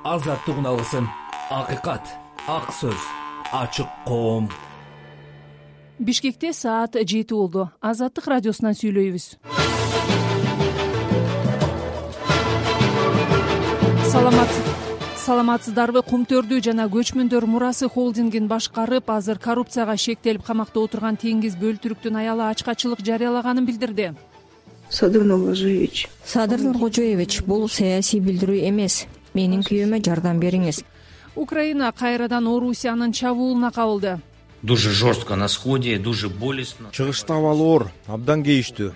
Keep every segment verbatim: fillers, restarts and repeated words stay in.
азаттык үналысын, акыйкат, ак сөз, ачык коом. Бишкекте саат жети болду. Азаттык радиосунан сүйлөйбүз. Саламатсыздарбы? Кумтөрдү жана көчмөндөр мурасы холдингин башкарып, азыр коррупцияга шектелип камакта отурган Теңиз Бөлтүрүктүн аялы ачкачылык жарыялаганын билдирди. Садыр Нуркожоевич. Садыр Нуркожоевич, бул саясий билдирүү эмес. Менин күйөөмө жардам бериңиз. Украина кайрадан Орусиянын чабуулуна кабылды. Дуже жестко на сходе, дуже болезненно. Чыгышта абал оор, абдан кейиштүү.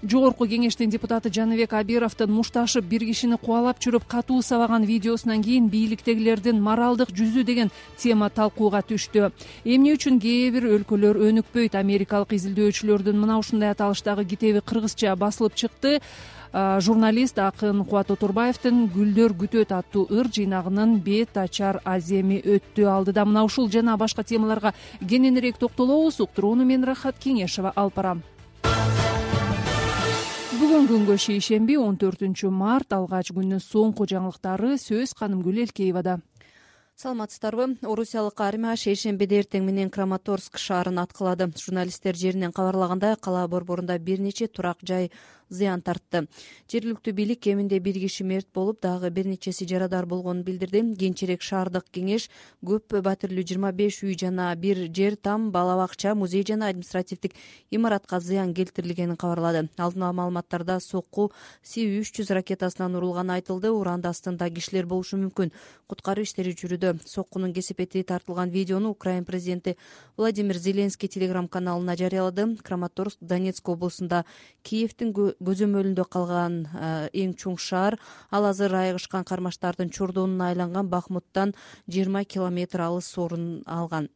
Жогорку кеңештин депутаты Жаныбек Абировдун мушташып бир кишини кубалап жүрүп катуу сабаган видеосунан кийин бийликтегилердин моралдык жүзү деген тема талкууга түштү. Эмне үчүн кээ бир өлкөлөр өнүкпөйт? Америкалык изилдөөчүлөрдүн мына ушундай аталыштагы китеби кыргызча басылып чыкты. Журналист Акын Кубат Отурбаевдин «Гүлдөр күтөт» аттуу ыр жыйнагынын бет ачар аземи өттү. Алдыда мына ушул жана башка темаларга кененирээк токтолобуз. Уктурууну мен Рахат Кеңешова алып барам. Бүгүн күнгө шейшемби он төртүнчү март, алгач күндүн соңку жаңылыктары сөз Канымгүл Элкеевада. Саламатсыздарбы? Орусиялык армия шейшембиде эртең менен Краматорск шаарын аткылады. Журналисттер жеринен кабарлагандай, кала борборунда бир нече турак жай зыян тартты. Жергиликтүү бийлик кеминде бир киши мерт болуп, дагы бир нечеси жарадар болгонун билдирди. Кийинчерээк шаардык кеңеш көп батирлүү жыйырма беш үй жана бир жер там, бала бакча, музей жана административдик имаратка зыян келтирилгенин кабарлады. Алдын ала маалыматтарда сокку Си үч жүз ракетасынан урулганы айтылды. Уранды астында кишилер болушу мүмкүн. Куткаруу иштери жүрүүдө. Соккунун кесепети тартылган видеону Украина президенти Владимир Зеленский телеграм-каналына жарыялады. Краматорск Донецк облусунда Киевдин көзөмөлүндө калган эң чоң шаар. Ал азыр айыгышкан кармаштардын чордонуна айланган Бахмуттан жыйырма километр алыс орун алган.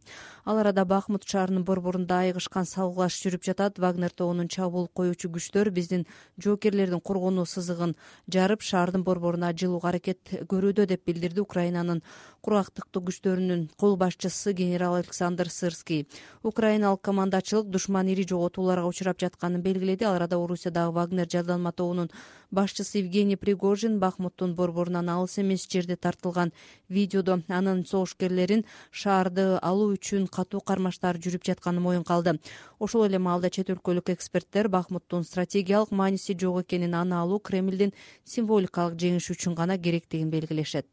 Ал арада Бахмут шаарынын борборунда айыгышкан салгылаш жүрүп жатат. Вагнер тобунун чабуул коюучу күчтөр биздин жоокерлердин коргонуу сызыгын жарып, шаардын борборуна жылууга аракет көрүүдө деп билдирди Украинанын кургактыктуу күчтөрүнүн кол башчысы генерал Александр Сырский. Украиналык командачылык душман ири жоготууларга учурап жатканын белгиледи. Ал арада Орусиядагы Вагнер жабдалма тобунун башчысы Евгений Пригожин Бахмуттун борборунан алыс эмес жерде тартылган видеодо анын согушкерлерин шаарды алуу үчүн катуу кармаштар жүрүп жатканын моюнга алды. Ошол эле маалда чет өлкөлүк эксперттер Бахмуттун стратегиялык мааниси жок экенин, аны алуу Кремлдин символикалык жеңиши үчүн гана керектигин белгилешет.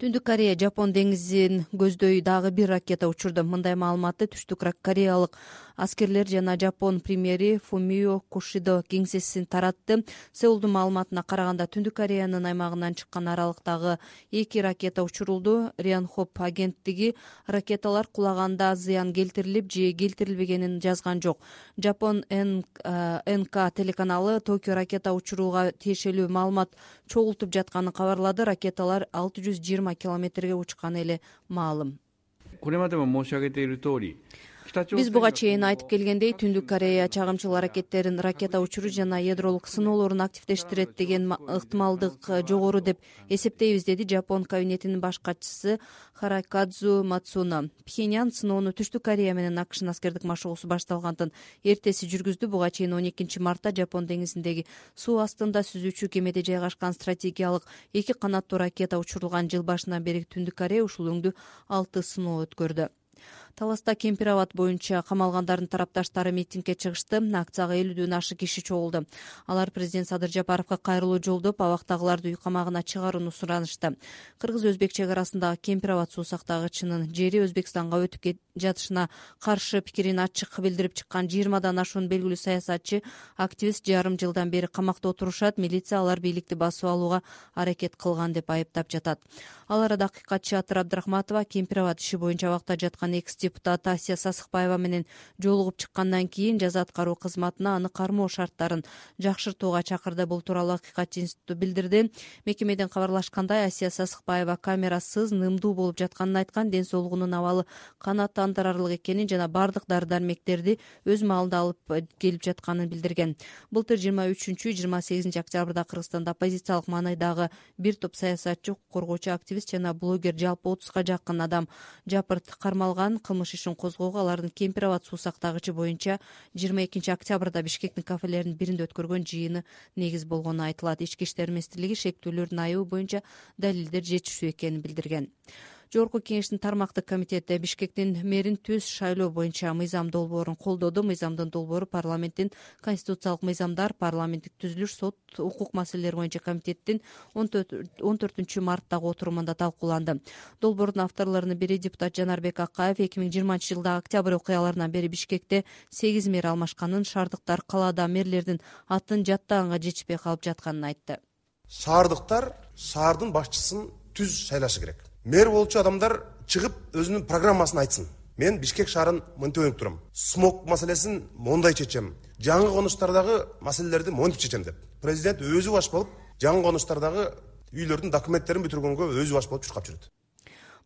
Түндүк Корея Жапон деңизин көздөй дагы бир ракета учурду. Мындай маалыматты Түштүк Кореялык аскерлер жана Жапон премьери Фумио Кишидо кеңсесин таратты. Сеулдун маалыматына караганда, Түндүк Кореянын аймагынан чыккан аралыктагы эки ракета учурулду. Рянхоп агенттиги ракеталар кулаганда зыян келтирилип же келтирилбегенин жазган жок. Жапон Эн Ка телеканалы Токио ракета учурууга тиешелүү маалымат чогултуп жатканын кабарлады. Ракеталар алты жүз жыйырма километрге учканы эле маалым. Биз буга чейин айтып келгендей, Түндүк Корея чагымчыл аракеттерин, ракета учуруу жана ядролук сыноолорун активдештирет деген ыктымалдык жогору деп эсептейбиз, деди Жапон кабинетинин баш катчысы Харакадзу Мацуно. Пхеньян сыноону Түштүк Корея менен АКШнын аскердик машыгуусу башталгандын эртеси жүргүздү. Буга чейин он экинчи мартта Жапон деңизиндеги суу астында сүзүүчү кемеде жайгашкан стратегиялык эки канаттуу ракета учурулган. Жыл башынан бери Түндүк Корея ушул өңдү алты сыноо өткөрдү. Таласта Кемпир абад боюнча камалгандардын тарапташтары митингге чыгышты. Акцияга элүүдөн ашык киши чогулду. Алар президент Садыр Жапаровго кайрылуу жолдоп, абактагыларды үй камагына чыгарууну суранышты. Кыргыз-өзбек чек арасындагы Кемпир абад суу сактагычынын жери Өзбекстанга өтүп жатышына каршы пикирин ачык билдирип чыккан жыйырмадан ашуун белгилүү саясатчы, активист жарым жылдан бери камакта отурушат. Милиция алар бийликти басып алууга аракет кылган деп айыптап жатат. Ал арада акыйкатчы Атыр Абдрахматова Кемпир абад иши боюнча абакта жаткан экс депутат Асия Сасыкбаева менен жолугуп чыккандан кийин жаза аткаруу кызматына аны кармоо шарттарын жакшыртууга чакырды. Бул тууралуу Акыйкатчы институту билдирди. Мекемеден кабарлашкандай, Асия Сасыкбаева камерасыз, нымдуу болуп жатканын айткан, ден соолугунун абалы канааттандырарлык экенин жана бардык дары-дармектерди өз маалында алып келип жатканын билдирген. Былтыр жыйырма үчүнчү жыйырма сегизинчи октябрда Кыргызстанда оппозициялык маанайдагы бир топ саясатчы, коргоочу, активист жана блогер, жалпы отузга жакын адам жапырт кармалган. кылмыш ишин козгоого алардын кемпир абад суу сактагычы боюнча жыйырма экинчи октябрда Бишкектин кафелеринин биринде өткөргөн жыйыны негиз болгону айтылат. Ички иштер министрлиги шектүүлөрдүн айыбы боюнча далилдер жетишүү экенин билдирген. Жогорку кеңештин тармактык комитети Бишкектин мэрин түз шайлоо боюнча мыйзам долбоорун колдоду. Мыйзамдын долбоору парламенттин конституциялык мыйзамдар, парламенттик түзүлүш, сот, укук маселелери боюнча комитеттин он төртүнчү марттагы отурумунда талкууланды. Долбоордун авторлорунун бири депутат Жанарбек Акаев эки миң жыйырманчы жылдагы октябрь окуяларынан бери Бишкекте сегиз мэр алмашканын, шаардыктар калаада мэрлердин атын жаттаганга жетишпей калып жатканын айтты. Шаардыктар шаардын башчысын түз шайлашы керек. Мэр болчу адамдар чыгып өзүнүн программасын айтсын. Мен Бишкек шаарын мынтип ойнуп турам. Смог маселесин мондай чечем. Жаңы конуштардагы маселелерди монтип чечем деп. Президент өзү баш болуп, жаңы конуштардагы үйлөрдүн документтерин бүтүргөнгө өзү баш болуп чуркап жүрөт.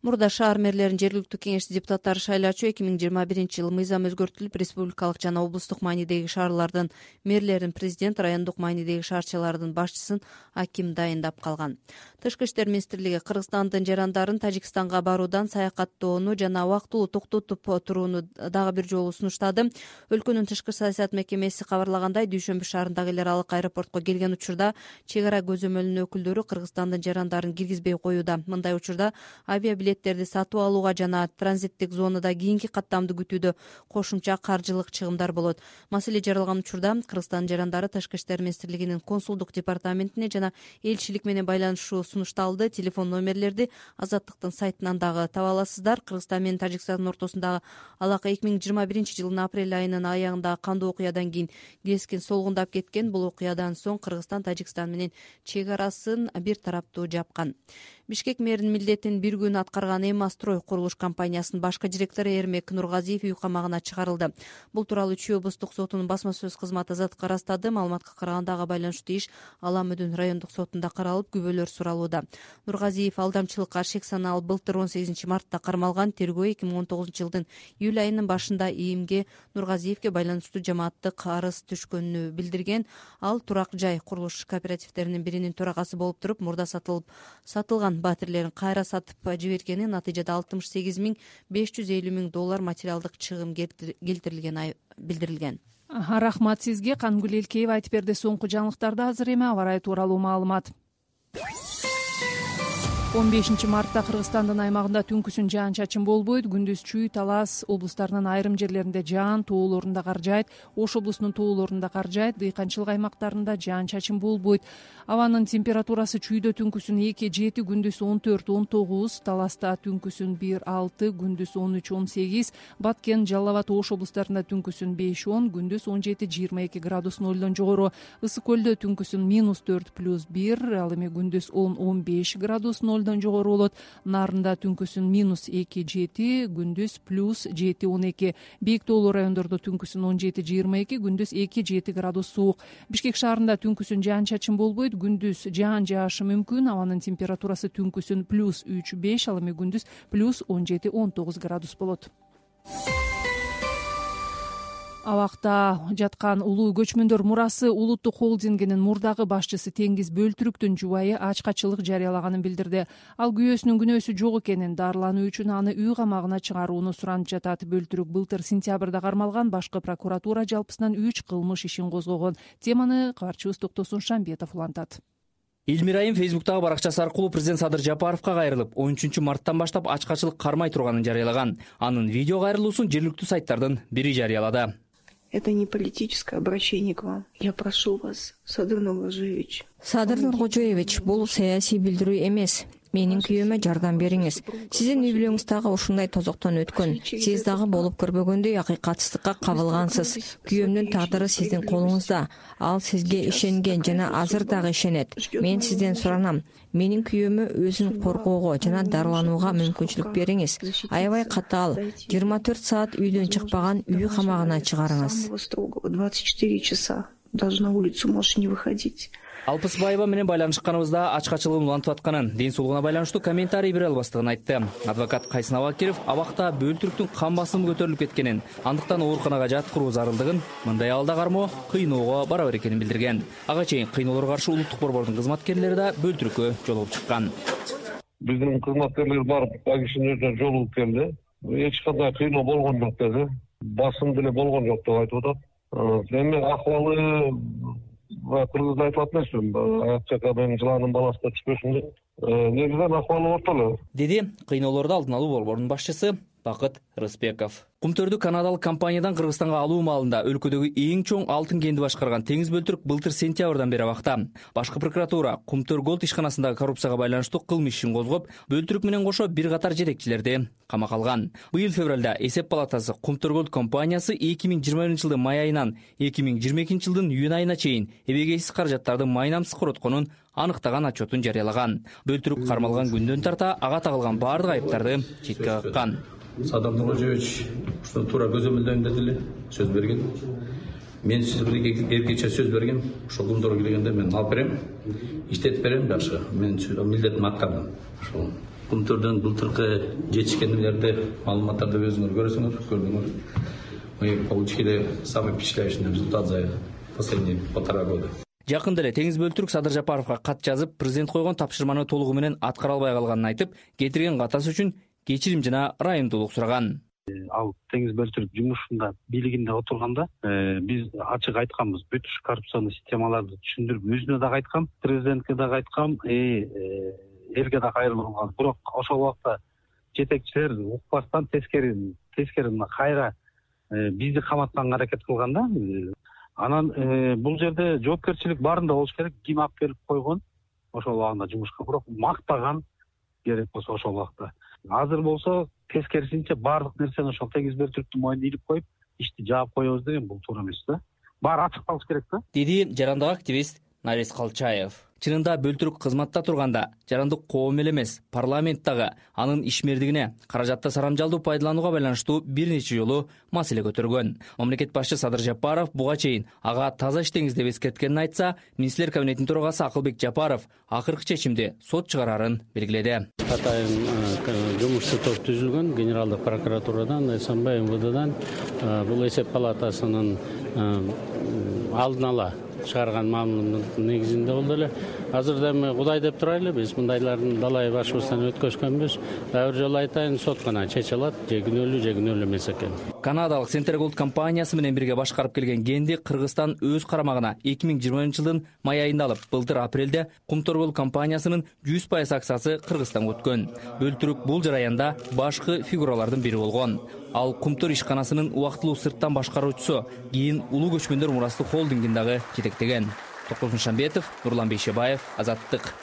Мурда шаар мэрлерин жергиликтүү кеңеш депутаттары шайлачу эки миң жыйырма биринчи жылы мыйзам өзгөртүлүп, республикалык жана облустук маанидеги шаарлардын мэрлерин президент, райондук маанидеги шаарчалардын башчысын аким дайындап калган. Тышкы иштер министрлиги Кыргызстандын жарандарын Тажикстанга баруудан саякаттоону жана убактылуу токтотуп турууну дагы бир жолу сунуштады. Өлкөнүн тышкы саясат мекемеси кабарлагандай, Дүйшөмбү шаарындагы эл аралык аэропортко келген учурда чек ара көзөмөлүнүн өкүлдөрү Кыргызстандын жарандарын киргизбей коюуда. Мындай учурда авиабилеттерди сатып алууга жана транзиттик зонада кийинки каттамды күтүүдө кошумча каржылык чыгымдар болот. Маселе жаралган учурда Кыргызстандын жарандары Тышкы иштер министрлигинин консулдук департаментине жана элчилик менен байланышуу сунушталды. Телефон номерлерди Азаттыктын сайтынан дагы таба аласыздар. Кыргызстан менен Тажикстандын ортосундагы алака эки миң жыйырма биринчи жылдын апрель айынын аягында кандуу окуядан кийин кескин солгундап кеткен. Бул окуядан соң Кыргызстан Тажикстан менен чек арасын бир тараптуу жапкан. Бишкек мэринин милдетин бир күн аткарган Эма-строй курулуш компаниясынын башкы директору Эрмек Нургазиев үй камагына чыгарылды. Бул тууралуу Чүй облустук сотунун басма сөз кызматы Азаттыкка ырастады. Маалыматка караганда ага байланыштуу иш Ала Мөдүн райондук сотунда каралып, күбөлөр суралууда. Нургазиев алдамчылыкка шек саналып былтыр он сегизинчи мартта кармалган. Тергөө эки миң он тогузунчу жылдын июль айынын башында ИИМге Нургазиевке байланыштуу жамааттык арыз түшкөнүн билдирген. Ал турак жай курулуш кооперативтеринин биринин төрагасы болуп туруп, мурда сатылып сатылган батирлерин кайра сатып жибергени, натыйжада алтымыш сегиз миң беш жүз элүү миң доллар материалдык чыгым келтирилгени билдирилген. Рахмат сизге. Кангүл Элкеева айтып берди. Соңку жаңылыктарды азыр эми аба ырайы тууралуу маалымат. он бешинчи мартта Кыргызстандын аймагында түнкүсүн жаан-чачын болбойт. Күндүз Чүй, Талас облустарынын айрым жерлеринде жаан, тоолорунда кар жаайт. Ош облусунун тоолорунда кар жаайт. Дыйканчылык аймактарында жаан-чачын болбойт. Абанын температурасы Чүйдө түнкүсүн эки жети, күндүз он төрт он тогуз, Таласта түнкүсүн бир алты, күндүз он үч он сегиз, Баткен, Жалал Абад, Ош облустарында түнкүсүн беш он, күндүз он жети жыйырма эки градус нолдон жогору. Ысык көлдө түнкүсүн минус төрт плюс бир, ал эми күндүз он он беш градус нолдон жогору болот. Нарында түнкүсүн минус эки жети, күндүз плюс жети он эки. Бийик тоолуу райондордо түнкүсүн он жети жыйырма эки, күндүз эки жети градус суук. Бишкек шаарында түнкүсүн жаан-чачын болбойт, күндүз жаан жаашы мүмкүн. Абанын температурасы түнкүсүн плюс үч беш, ал эми күндүз плюс он жети он тогуз градус болот. Абакта жаткан улуу көчмөндөр мурасы улуттук холдингинин мурдагы башчысы Теңиз Бөлтүрүктүн жубайы ачкачылык жарыялаганын билдирди. Ал күйөөсүнүн күнөөсү жок экенин, дарылануу үчүн аны үй камагына чыгарууну суранып жатат. Бөлтүрүк былтыр сентябрда кармалган. Башкы прокуратура жалпысынан үч кылмыш ишин козгогон. Теманы кабарчыбыз Токтосун Шамбетов улантат. Элмирайым фейсбуктагы баракчасы аркылуу президент Садыр Жапаровго кайрылып, он үчүнчү марттан баштап ачкачылык кармай турганын жарыялаган. Анын видео кайрылуусун жергиликтүү сайттардын бири жарыялады. Это не политическое обращение к вам. Я прошу вас, Садыр Нуркожоевич. Садыр Нуркожоевич, бул саясий билдирүү эмес. Менин күйөөмө жардам бериңиз. Сиздин үй бүлөңүз дагы ушундай тозоктон өткөн. Сиз дагы болуп көрбөгөндөй акыйкатсыздыкка кабылгансыз. Күйөөмдүн тагдыры сиздин колуңузда. Ал сизге ишенген жана азыр дагы ишенет. Мен сизден суранам. Менин күйөөмө өзүн коргоого жана дарыланууга мүмкүнчүлүк бериңиз. Аябай катаал. жыйырма төрт саат үйдөн чыкпаган үй камагына чыгарыңыз. двадцать четыре часа. Даже на улицу можешь не выходить. Алпысбаева менен байланышканыбызда ачкачылыгын улантып атканын, ден соолугуна байланыштуу комментарий бере албастыгын айтты. Адвокат Кайсын Абакиров абакта Бөлтүрүктүн кан басымы көтөрүлүп кеткенин, андыктан ооруканага жаткыруу зарылдыгын, мындай абалда кармоо кыйноого барабар экенин билдирген. Ага чейин кыйноолорго каршы улуттук борбордун кызматкерлери да Бөлтүрүккө жолугуп чыккан. Биздин кызматкерлер барып, ал кишинин өзүнө жолугуп келди. эч кандай кыйноо болгон жок деди. Басым деле болгон жок деп айтып атат. Эми акыбалы Кыргызда айтылат нерсе, ак жака менин жыланын баласы да түшпөсүн деп. Негизинен акыбалы орто эле, деди кыйноолорду алдын алуу борборунун башчысы Бакыт Рыспеков. Кумтөрдү канадалык компаниядан Кыргызстанга алуу маалында өлкөдөгү эң чоң алтын кенди башкарган теңиз бөлтүрк былтыр сентябрдан бери абакта. Башкы прокуратура Кумтөр Голд ишканасындагы коррупцияга байланыштуу кылмыш ишин козгоп, бөлтүрүк менен кошо бир катар жетекчилерди камакка алган. Быйыл февралда эсеп палатасы Кумтөр Голд компаниясы эки миң жыйырма биринчи жылдын май айынан эки миң жыйырма экинчи жылдын июнь айына чейин эбегейсиз каражаттарды майнамсыз коротконун аныктаган отчетун жарыялаган. Бөлтүрүк кармалган күндөн тарта ага тагылган баардык айыптарды четке каккан. Садыр Нуркожоевич ушуну туура көзөмөлдөйм деди эле, сөз берген. Мен сизге эркече сөз берген, ошол күндөргө келгенде мен алып берем, иштетип берем жакшы. Мен милдетимди аткардым. Ошол Кумтөрдөн былтыркы жетишкендерди, маалыматтарды өзүңөр көрөсүңөр, көрдүңөр. Мы получили самый впечатляющий результат за последние полтора года. Жакында эле Теңиз Бөлтүрк Садыр Жапаровго кат жазып, президент койгон тапшырманы толугу менен аткара албай калганын айтып, кетирген катасы үчүн кечирим жана ырайымдуулук сураган. Ал Теңиз Бөлтүрк жумушунда бийлигинде отурганда биз ачык айтканбыз, бүт коррупционный системаларды түшүндүрүп, өзүнө дагы айткам, президентке дагы айткам, элге да кайрылып калган. Бирок ошол убакта жетекчилер укпастан тескери тескери мына кайра бизди каматканга аракет кылганда, анан бул жерде жоопкерчилик баарында болуш керек. Ким алып келип койгон ошол убагында жумушка, бирок мактаган керек болсо ошол убакта. Азыр болсо тескерисинче баардык нерсени ошол Теңиз Бөлтүрктүн мойнуна илип коюп, ишти жаап коебуз деген бул туура эмес да. Баары ачык калыш керек да. Деди жарандык активист Нарис Калчаев. Чынында Бөлтүрк кызматта турганда жарандык коом эле эмес, парламенттагы анын ишмердигине, каражатты сарамжалдуу пайдаланууга байланыштуу бир нече жолу маселе көтөргөн. Мамлекет башчы Садыр Жапаров буга чейин ага таза иштеңиз деп эскерткенин айтса, министрлер кабинетинин төрагасы Акылбек Жапаров акыркы чечимди сот чыгарарын белгиледи. Атайын жумушчу топ түзүлгөн генералдык прокуратурадан, СМБ МВДдан бул эсеп палатасынын алдын ала чыгарган маалыматтын негизинде болду эле. Азырда эми Кудай деп турайлы, биз мындайлардын далай башыбыздан өткөзгөнбүз. Дагы бир жолу айтайын, сот гана чече алат, же күнөөлүү же күнөөлүү эмес экен. Канадалык Center Gold компаниясы менен бирге башкарып келген кенди Кыргызстан өз карамагына эки миң жыйырма биринчи жылдын май айында алып, былтыр апрелде Кумтөр Gold компаниясынын жүз пайыз акциясы Кыргызстанга өткөн. Бөлтүрүк бул жараянда башкы фигуралардын бири болгон. Ал Кумтөр ишканасынын убактылуу сырттан башкаруучусу, кийин Улуу көчкөндөр мурастык холдингин дагы жетектеген. Токосун Шамбетов, Нурлан Бейшебаев, Азаттык.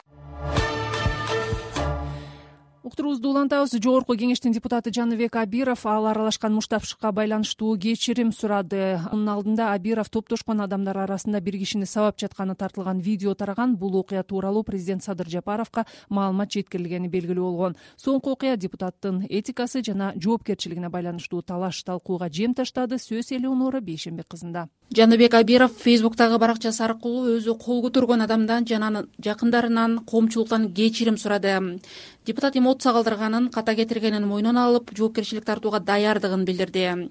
Уктуруубузду улантабыз. Жогорку кеңештин депутаты Жаныбек Абиров ал аралашкан муштапшыкка байланыштуу кечирим сурады. Анын алдында Абиров топтошкон адамдар арасында бир кишини сабап жатканы тартылган видео тараган. Бул окуя тууралуу президент Садыр Жапаровго маалымат жеткирилгени белгилүү болгон. Соңку окуя депутаттын этикасы жана жоопкерчилигине байланыштуу талаш талкууга жем таштады. Сөз Элеонора Бейшембек кызында. Жаныбек Абиров Фейсбуктагы баракчасы аркылуу өзү кол көтөргөн адамдан жана жакындарынан, коомчулуктан кечирим сурады. Депутат эмоция калтырганын, ката кетиргенин мойнуна алып, жоопкерчилик тартууга даярдыгын билдирди.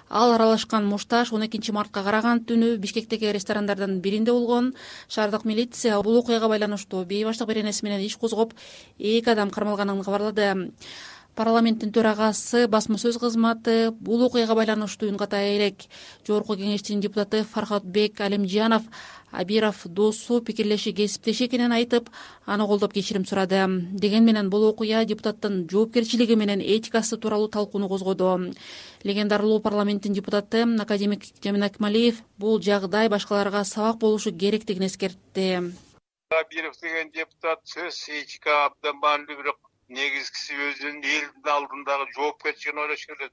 Ал аралашкан мушташ он экинчи мартка караган түнү Бишкектеги ресторандардан биринде болгон. Шаардык милиция бул окуяга байланыштуу бейбаштык беренеси менен иш козгоп, эки адам кармалганын кабарлады. Парламенттин төрагасы басма сөз кызматы бул окуяга байланыштуу үн ката элек. Жогорку кеңештин депутаты Фархатбек Алимжанов Абиров досу, пикирлеши, кесиптеши экенин айтып, аны колдоп кечирим сурады. Деген менен бул окуя депутаттын жоопкерчилиги менен этикасы тууралуу талкууну козгоду. Легендарлуу парламенттин депутаты академик Жамин Акмалиев бул жагдай башкаларга сабак болушу керектигин эскертти. Абиров деген депутат сөз этика абдан маанилүү, бирок негизгиси өзүнүн элдин алдындагы жоопкерчилигин ойлош керек.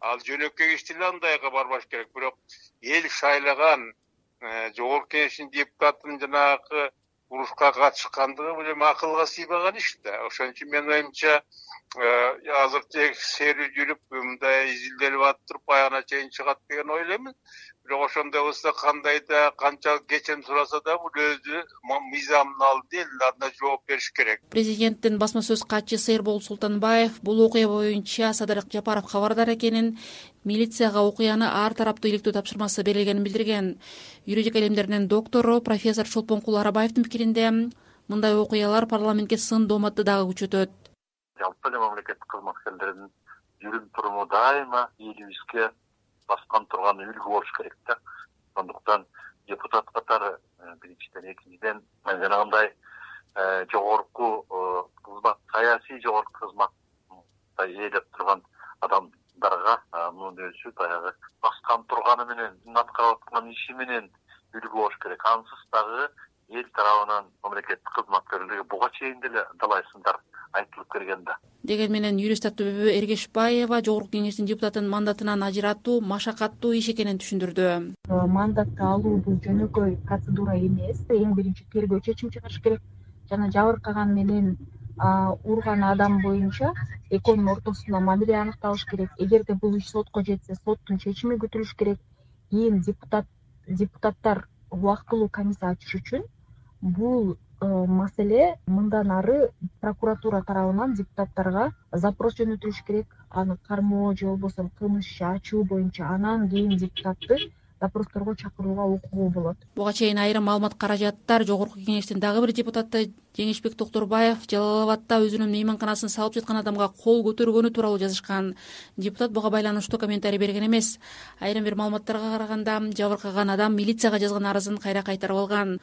Ал жөнөкөй ишти эле андайга барбаш керек, бирок эл шайлаган жогорку кеңештин депутатынын жанагы урушка катышкандыгы бул эми акылга сыйбаган иш да. Ошон үчүн менин оюмча азыр тек серүү жүрүп мындай изилделип атып туруп аягына чейин чыгат деген ойлоймун. Бирок ошондой болсо кандай да канчалык кечирим сураса да бул өзү мыйзамдын алдында элдин жооп бериш керек. Президенттин басма сөз катчысы Эрбол Султанбаев бул окуя боюнча Садыр Жапаров кабардар экенин, милицияга окуяны ар тараптуу иликтөө тапшырмасы берилгенин билдирген. Юридика илимдеринин доктору профессор Чолпонкул Арабаевдин пикиринде мындай окуялар парламентке сын дооматты дагы күчөтөт. Жалпы эле мамлекеттик кызматкерлердин жүрүм туруму дайыма элибизге баскан турган үлгү болуш керек да. Ошондуктан депутат катары биринчиден, экинчиден жанагындай жогорку кызмат, саясий жогорку кызматта ээлеп турган адамдарга мунун өзү баягы баскан турганы менен, аткарып аткан иши менен үлгү болуш керек. Ансыз дагы эл тарабынан мамлекеттик кызматкерлерге буга чейин деле далай сындар айтылып келген да. Деген менен юрист Аттыбүбү Эргешбаева Жогорку Кеңештин депутатын мандатынан ажыратуу машакаттуу иш экенин түшүндүрдү. Мандатты алуу бул жөнөкөй процедура эмес. Эң биринчи тергөө чечим чыгарыш керек жана жабыркаган менен урган адам боюнча экөөнүн ортосунда мамиле аныкталыш керек. Эгерде бул иш сотко жетсе, соттун чечими күтүлүш керек. Кийин депутат депутаттар убактылуу комиссия ачыш үчүн бул маселе мындан ары прокуратура тарабынан депутаттарга запрос жөнөтүлүш керек. Аны кармоо же болбосо кылмыш иши ачуу боюнча, анан кийин депутатты допросторго чакырууга укугу болот. Буга чейин айрым маалымат каражаттар Жогорку Кеңештин дагы бир депутаты Жеңишбек Токторбаев Жалал Абадта өзүнүн мейманканасын салып жаткан адамга кол көтөргөнү тууралуу жазышкан. Депутат буга байланыштуу комментарий берген эмес. Айрым бир маалыматтарга караганда жабыркаган адам милицияга жазган арызын кайра кайтарып алган.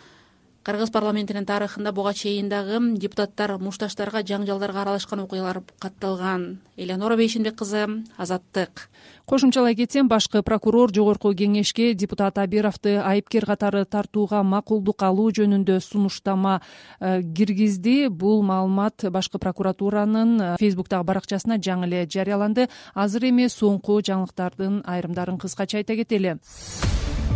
Кыргыз парламентинин тарыхында буга чейин дагы депутаттар мушташтарга, жаңжалдарга аралашкан окуялар катталган. Элеонора Бейшенбек кызы, Азаттык. Кошумчалай кетсем, башкы прокурор Жогорку Кеңешке депутат Абировду айыпкер катары тартууга макулдук алуу жөнүндө сунуштама киргизди. Бул маалымат башкы прокуратуранын Фейсбуктагы баракчасына жаңы эле жарыяланды. Азыр эми соңку жаңылыктардын айрымдарын кыскача айта кетели.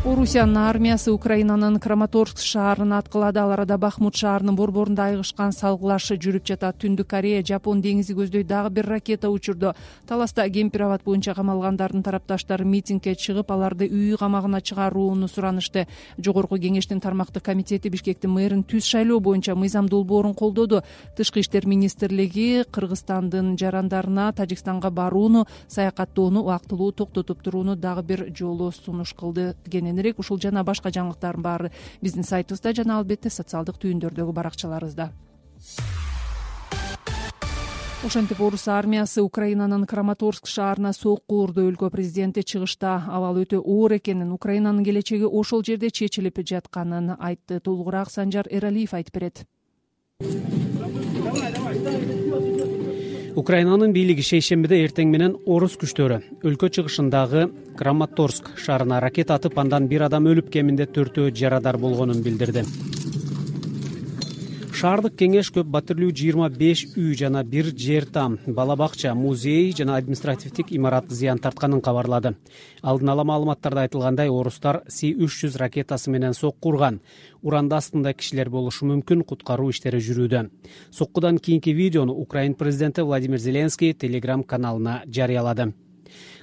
Орусиянын армиясы Украинанын Краматорск шаарын аткылады. Ал арада Бахмут шаарынын борборунда айгышкан салгылаш жүрүп жатат. Түндүк Корея Жапон деңизи көздөй дагы бир ракета учурду. Таласта Гемпирават боюнча камалгандардын тарапташтары митингге чыгып, аларды үй камагына чыгарууну суранышты. Жогорку Кеңештин тармактык комитети Бишкектин мэрин түз шайлоо боюнча мыйзам долбоорун колдоду. Тышкы иштер министрлиги Кыргызстандын жарандарына Тажикстанга барууну, саякаттоону убактылуу токтотуп турууну дагы бир жолу сунуш кылды. Ушул жана башка жаңылыктардын баары биздин сайтыбызда жана албетте социалдык түйүндөрдөгү баракчаларыбызда. Ошентип орус армиясы Украинанын Краматорск шаарына сокку урду. Өлкө президенти чыгышта абал өтө оор экенин, Украинанын келечеги ошол жерде чечилип жатканын айтты. Толугураак Санжар Эралиев айтып берет. Украинанын бийлиги шейшембиде эртең менен орус күчтөрү өлкө чыгышындагы Краматорск шаарына ракета атып, андан бир адам өлүп, кеминде төртөө жарадар болгонун билдирди. Шаардык кеңеш көп батирлүү жыйырма беш үй жана бир жер там, бала бакча, музей жана административдик имарат зыян тартканын кабарлады. Алдын ала маалыматтарда айтылгандай, орустар Си үч жүз ракетасы менен сокку урган. Уранда астында кишилер болушу мүмкүн, куткаруу иштери жүрүүдө. Соккудан кийинки видеону Украин президенти Владимир Зеленский Телеграм каналына жарыялады.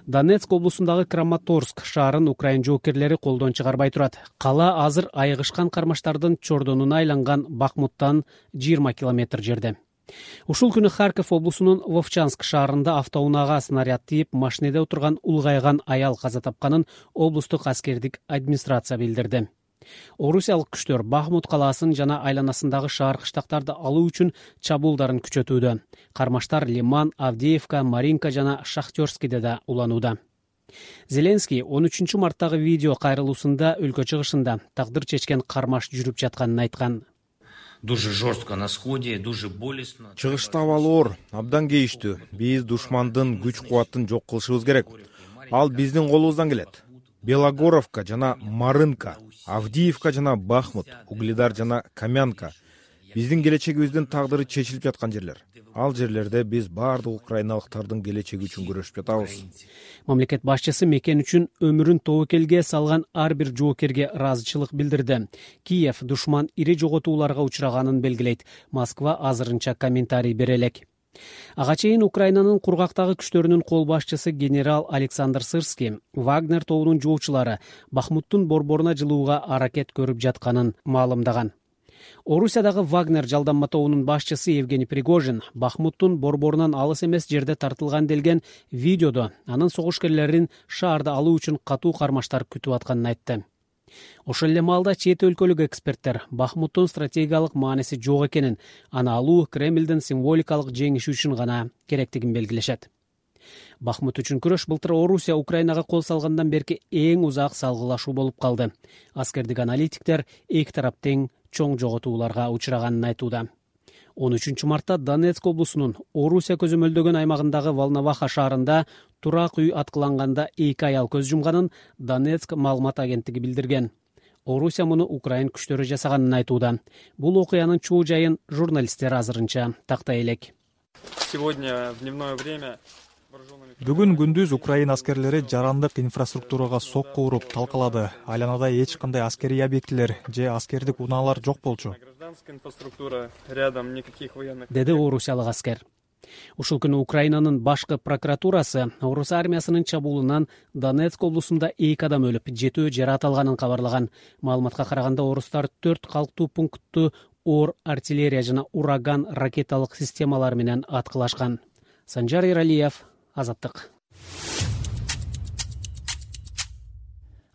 Донецк облусундагы Краматорск шаарын Украин жоокерлери колдон чыгарбай турат. Кала азыр айгышкан кармаштардын чордонуна айланган Бахмуттан жыйырма километр жерде. Ушул күнү Харьков облусунун Вовчанск шаарында автоунаага снаряд тийип, машинеде отурган улгайган аял каза тапканын облустук аскердик администрация билдирди. Орусиялык күчтөр Бахмут калаасын жана айланасындагы шаар кыштактарды алуу үчүн чабуулдарын күчөтүүдө. Кармаштар Лиман, Авдеевка, Маринка жана Шахтерскийде да уланууда. Зеленский он үчүнчү марттагы видео кайрылуусунда өлкө чыгышында тагдыр чечкен кармаш жүрүп жатканын айткан. Дуже жестко на сходе, дуже болезненно. Чыгышта абал оор, абдан кейиштүү. Биз душмандын күч кубатын жок кылышыбыз керек. Ал биздин колубуздан келет. Белогоровка жана Марынка, Авдеевка жана Бахмут, Угледар жана Камянка биздин келечегибиздин тагдыры чечилип жаткан жерлер. Ал жерлерде биз баардык украиналыктардын келечеги үчүн күрөшүп жатабыз. Мамлекет башчысы мекен үчүн өмүрүн тобокелге салган ар бир жоокерге ыраазычылык билдирди. Киев душман ири жоготууларга учраганын белгилейт. Москва азырынча комментарий бере элек. Ага чейин Украинанын кургактагы күчтөрүнүн кол башчысы генерал Александр Сырский Вагнер тобунун жоочулары Бахмуттун борборуна жылууга аракет көрүп жатканын маалымдаган. Орусиядагы Вагнер жалданма тобунун башчысы Евгений Пригожин Бахмуттун борборунан алыс эмес жерде тартылган делген видеодо анын согушкерлерин шаарда алуу үчүн катуу кармаштар күтүп атканын айтты. Ошол эле маалда чет өлкөлүк эксперттер Бахмуттун стратегиялык мааниси жок экенин, аны алуу Кремлдин символикалык жеңиши үчүн гана керектигин белгилешет. Бахмут үчүн күрөш былтыр Орусия Украинага кол салгандан берки эң узак салгылашуу болуп калды. Аскердик аналитиктер эки тарап тең чоң жоготууларга учураганын айтууда. он үчүнчү мартта Донецк облусунун Орусия көзөмөлдөгөн аймагындагы Волноваха шаарында турак үй аткыланганда эки аял көз жумганын Донецк маалымат агенттиги билдирген. Орусия муну Украин күчтөрү жасаганын айтууда. Бул окуянын чуу жайын журналисттер азырынча тактай элек. Сегодня в дневное время Бүгүн күндүз Украина аскерлери жарандык инфраструктурага сокку уруп талкалады. Айланада эч кандай аскерий объектилер же аскердик унаалар жок болчу. Деди орусиялык аскер. Ушул күнү Украинанын башкы прокуратурасы Орус армиясынын чабуулунан Донецк облусунда эки адам өлүп, жетөө жаракат алганын кабарлаган. Маалыматка караганда орустар төрт калктуу пунктту оор артиллерия жана ураган ракеталык системалар менен аткылашкан. Санжар Иралиев, Азаттык.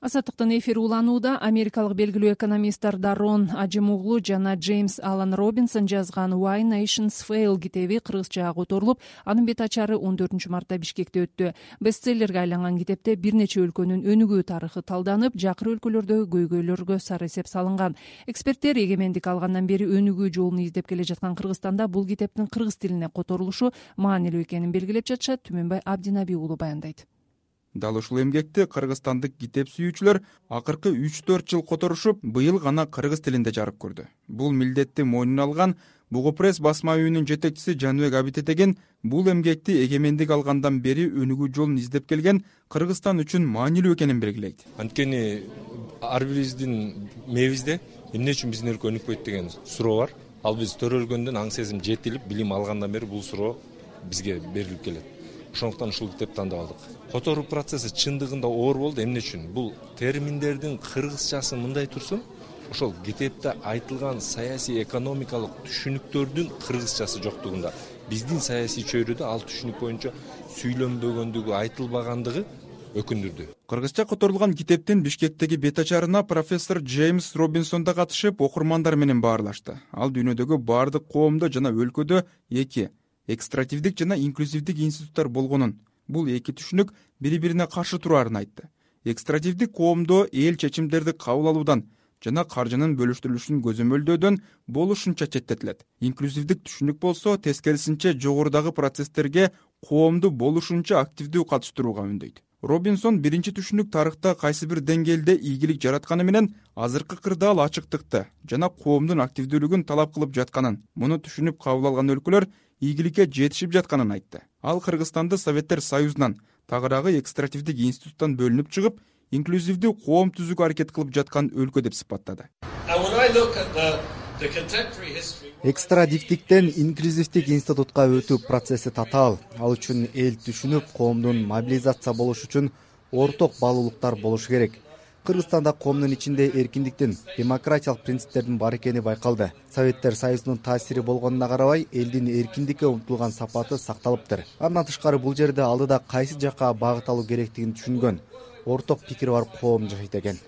Азаттыктын эфири уланууда. Америкалык белгилүү экономисттер Дарон Ажимоглу жана Джеймс Алан Робинсон жазган Why Nations Fail китеби кыргызчага которулуп, анын бет ачары он төртүнчү мартта Бишкекте өттү. Бестселлерге айланган китепте бир нече өлкөнүн өнүгүү тарыхы талданып, жакыр өлкөлөрдөгү көйгөйлөргө сары эсеп салынган. Эксперттер эгемендик алгандан бери өнүгүү жолун издеп келе жаткан Кыргызстанда бул китептин кыргыз тилине которулушу маанилүү экенин белгилеп жатышат. Түмөнбай Абдинаби уулу баяндайт. Дал ушул эмгекти кыргызстандык китеп сүйүүчүлөр акыркы үч төрт жыл которушуп, быйыл гана кыргыз тилинде жарык көрдү. Бул милдетти мойнуна алган Бугу пресс басма үйүнүн жетекчиси Жаныбек Абитетеген бул эмгекти эгемендик алгандан бери өнүгүү жолун издеп келген Кыргызстан үчүн маанилүү экенин белгилейт. Анткени ар бирибиздин мээбизде эмне үчүн биздин өлкө өнүкпөйт деген суроо бар. Ал биз төрөлгөндөн аң сезим жетилип, билим алгандан бери бул суроо бизге берилип келет. Ошондуктан ушул китепти тандап алдык. Которуу процесси чындыгында оор болду. Эмне үчүн? Бул терминдердин кыргызчасы мындай турсун, ошол китепте айтылган саясий экономикалык түшүнүктөрдүн кыргызчасы жоктугунда, биздин саясий чөйрөдө ал түшүнүк боюнча сүйлөнбөгөндүгү, айтылбагандыгы өкүндүрдү. Кыргызча которулган китептин Бишкектеги бет ачарына профессор Джеймс Робинсон да катышып, окурмандар менен баарлашты. Ал дүйнөдөгү баардык коомдо жана өлкөдө эки экстративдик жана инклюзивдик институттар болгонун, бул эки түшүнүк бири-бирине каршы тураарын айтты. Экстративдик коомдо эл чечимдерди кабыл алуудан жана каржынын бөлүштүрүлүшүн көзөмөлдөөдөн болушунча четтетилет. Инклюзивдик түшүнүк болсо тескерисинче жогорудагы процесстерге коомду болушунча активдүү катыштырууга үндөйт. Робинсон биринчи түшүнүк тарыхта кайсы бир деңгээлде ийгилик жаратканы менен азыркы кырдаал ачыктыкты жана коомдун активдүүлүгүн талап кылып жатканын, муну түшүнүп кабыл алган өлкөлөр ийгиликке жетишип жатканын айтты. Ал Кыргызстанды Советтер Союзунан, тагыраагы экстративдик институттан бөлүнүп чыгып, инклюзивдүү коом түзүүгө аракет кылып жаткан өлкө деп сыпаттады. Экстрадиктиктен инклюзивдик институтка өтүү процесси татаал. Ал үчүн эл түшүнүп, коомдун мобилизация болуш үчүн орток баалуулуктар болушу керек. Кыргызстанда коомдун ичинде эркиндиктин, демократиялык принциптердин бар экени байкалды. Советтер Союзунун таасири болгонуна карабай, элдин эркиндикке умтулган сапаты сакталыптыр. Андан тышкары бул жерде алдыда кайсы жакка багыт алуу керектигин түшүнгөн, орток пикири бар коом жашайт экен.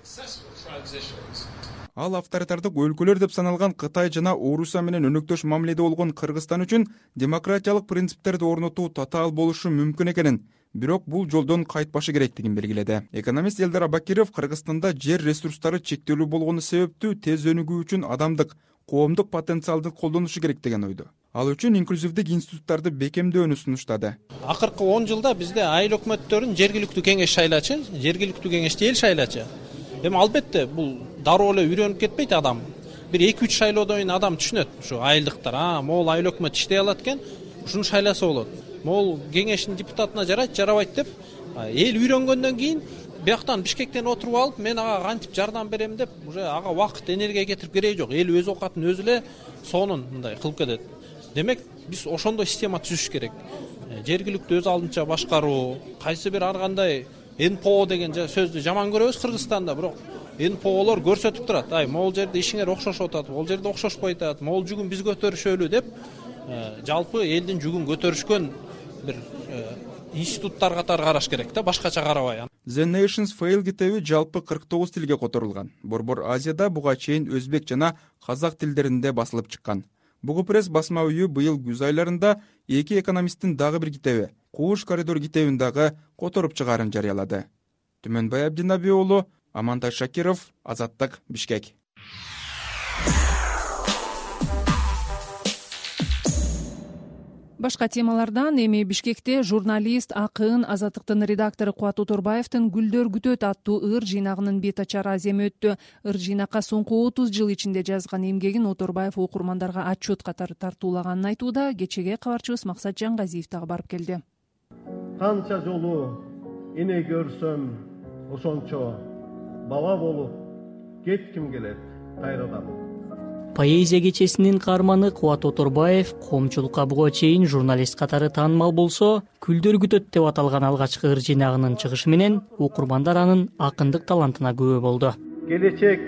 Ал авторитардык өлкөлөр деп саналган Кытай жана Орусия менен өнөктөш мамиледе болгон Кыргызстан үчүн демократиялык принциптерди орнотуу татаал болушу мүмкүн экенин, бирок бул жолдон кайтпашы керектигин белгиледи. Экономист Элдар Абакиров Кыргызстанда жер ресурстары чектелүү болгону себептүү тез өнүгүү үчүн адамдык, коомдук потенциалды колдонушу керек деген ойдо. Ал үчүн инклюзивдик институттарды бекемдөөнү сунуштады. Акыркы он жылда бизде айыл өкмөттөрүн жергиликтүү кеңеш шайлачы, жергиликтүү кеңешти эл шайлачы. Эми албетте бул дароо эле үйрөнүп кетпейт адам. Бир эки үч шайлоодон кийин адам түшүнөт, ушу айылдыктар, а, могул айыл өкмөт иштей алат экен, ушуну шайласа болот. Могул кеңештин депутатына жарайт, жарабайт деп эл үйрөнгөндөн кийин бияктан Бишкектен отуруп алып, мен ага кантип жардам берем деп, уже ага убакыт, энергия кетирип кереги жок. Эл өз оокатын өзү эле сонун мындай кылып кетет. Демек, биз ошондой система түзүш керек. Жергиликтүү өз алдынча башкаруу, кайсы бир ар кандай эн пэ о деген сөздү жаман көрөбүз Кыргызстанда, бирок эн пэ о'лор көрсөтүп турат. Ай, могул жерде ишиңер окшошуп атат, могул жерде окшошпой атат, могул жүгүн биз көтөрүшөлү деп, жалпы элдин жүгүн көтөрүшкөн бир институттар катары караш керек да, башкача карабай. The Nations Fail китеби жалпы кырк тогуз тилге которулган. Борбор Азияда буга чейин өзбек жана казак тилдеринде басылып чыккан. Бугу пресс басма үйү быйыл күз айларында эки экономисттин дагы бир китеби Кууш коридор китебин дагы которуп чыгаарын жарыялады. Түмөнбай Абдинаби уулу, Амантай Шакиров, Азаттык, Бишкек. Башка темалардан эми Бишкекте журналист, акын, Азаттыктын редактору Кубат Оторбаевдин Гүлдөр күтөт аттуу ыр жыйнагынын бет ачар аземи өттү. Ыр жыйнакка соңку отуз жыл ичинде жазган эмгегин Оторбаев окурмандарга отчет катары тартуулаганын айтууда. Кечеге кабарчыбыз Максат Жангазиев дагы барып келди. Канча жолу эне көрсөм ошончо бала болуп кетким келет кайрадан. Поэзия кечесинин каарманы Кубат Оторбаев коомчулукка буга чейин журналист катары таанымал болсо, Гүлдөр күтөт деп аталган алгачкы ыр жыйнагынын чыгышы менен окурмандар анын акындык талантына күбө болду. Келечек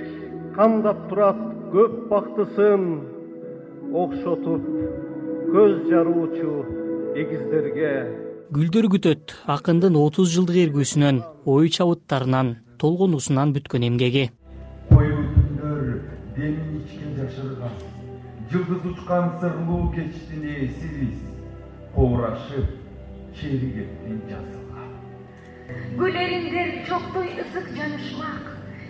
камдап турат көп бактысын окшотуп көз жаруучу эгиздерге. Гүлдөр күтөт акындын отуз жылдык эргүүсүнөн, ой чабыттарынан, толгонуусунан бүткөн эмгеги. Демин ичкен жашырган, жылдыз учкан сырлуу кечтин ээсибиз, коурашып, черигеттин жазылган. Гүлериндер чоктой ысык жанышмак,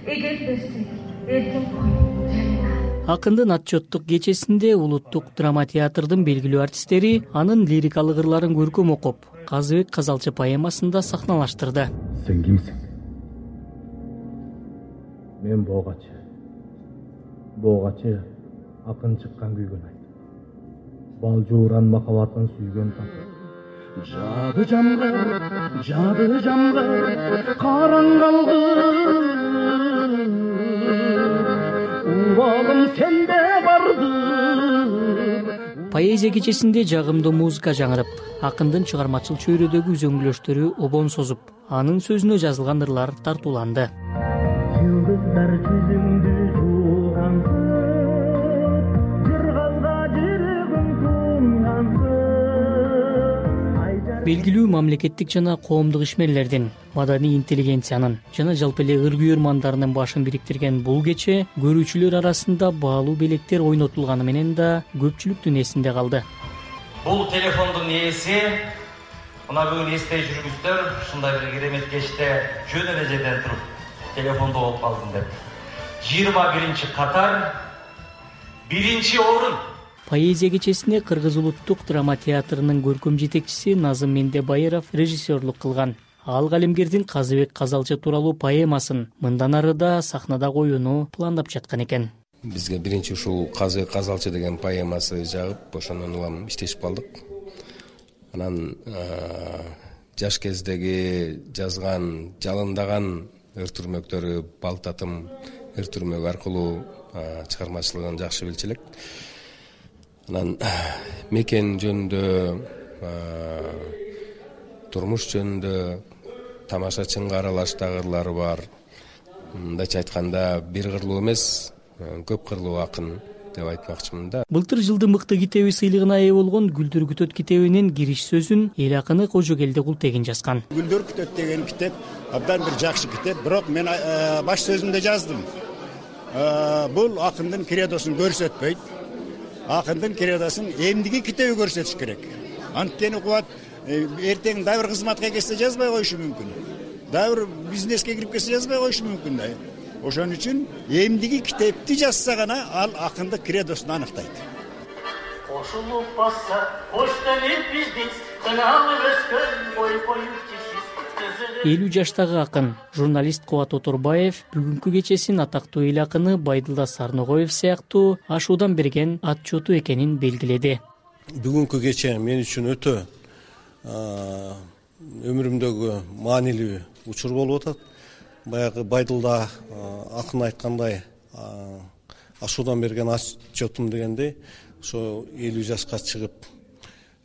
эгер берсек, эркин коюп жайына. Акындын отчеттук кечесинде улуттук драма театрдын белгилүү артисттери анын лирикалык ырларын көркөм окуп, Казыбек Казалчы поэмасында сахналаштырды. Сен кимсиң? Мен Боогачы. Боогачы акын чыккан күйгөн айт. Бал жууран махабатын сүйгөн татып. Жады жамгыр, жады жамгыр, караңгылгы. Убалым сенде барды. Поэзия кечесинде жагымдуу музыка жаңырып, акындын чыгармачыл чөйрөдөгү үзөңгүлөштөрү обон созуп, анын сөзүнө жазылган ырлар тартууланды. Жылдыздар жүзүңдү белгилүү мамлекеттик жана коомдук ишмерлердин, маданий интеллигенциянын жана жалпы эле ыр күйөрмандарынын башын бириктирген бул кече көрүүчүлөр арасында баалуу белектер ойнотулганы менен да көпчүлүктүн эсинде калды. Бул телефондун ээси мына бүгүн эстей жүргүздөр ушундай бир керемет кечте жөн эле жерден туруп телефонду алып калдым деп. жыйырма биринчи катар, биринчи орун. Поэзия кечесине Кыргыз улуттук драма театрынын көркөм жетекчиси Назым Мендебайыров режиссерлук кылган. Ал калемгердин Казыбек Казалчы тууралуу поэмасын мындан ары да сахнада коюуну пландап жаткан экен. Бизге биринчи ушул Казыбек Казалчы деген поэмасы жагып, ошондон улам иштешип калдык. Анан жаш кездеги жазган, жалындаган ыр түрмөктөрү Балтатым ыр түрмөк аркылуу чыгармачылыгын жакшы билчү элек. Анан мекен жөнүндө, турмуш жөнүндө тамашачынга аралаштагы ырлары бар. Мындайча айтканда, бир кырлуу эмес, көп кырлуу акын деп айтмакчымын да. Былтыр жылдын мыкты китеби сыйлыгына ээ болгон Гүлдөр күтөт китебинин кириш сөзүн эл акыны Кожогелди Култегин жазган. Гүлдөр күтөт деген китеп абдан бир жакшы китеп, бирок мен баш сөзүмдө жаздым. Бул акындын кредосун көрсөтпөйт. Акындын кредосын эмдиги китеби көрсөтүш керек. Анткени Кубат эртең дагы бир кызматка келсе жазбай коюшу мүмкүн. Дагы бир бизнеске кирип келсе жазбай коюшу мүмкүн да. Ошон үчүн эмдиги китепти жазса гана ал акындык кредосун аныктайт. Кошулуп басса, коштенип биздин кыналып өскөн бой коюп элүү жаштагы акын, журналист Кубат Оторбаев бүгүнкү кечесин атактуу эл акыны Байдылда Сарногоев сыяктуу ашуудан берген отчету экенин белгиледи. Бүгүнкү кече мен үчүн өтө өмүрүмдөгү маанилүү учур болуп атат. Баягы Байдылда акын айткандай ашуудан берген отчетум дегендей, ошо элүү жашка чыгып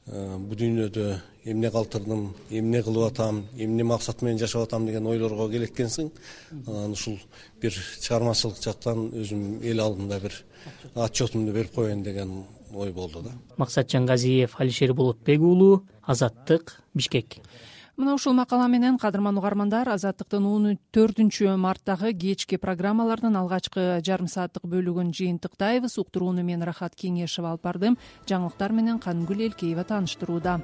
бул дүйнөдө эмне калтырдым, эмне кылып атам, эмне максат менен жашап атам деген ойлорго келеткенсиң. Анан ушул бир чыгармачылык жактан өзүм эл алдында бир отчетумду берип коеюн деген ой болду да. Максат Жангазиев, Алишер Болотбек уулу, Азаттык, Бишкек. Мына ушул макала менен кадырман угармандар, Азаттыктын он төртүнчү марттагы кечки программалардын алгачкы жарым сааттык бөлүгүн жыйынтыктайбыз. Уктурууну мен Рахат Кеңешева алып бардым. Жаңылыктар менен Каныгүл Элкеева тааныштырууда.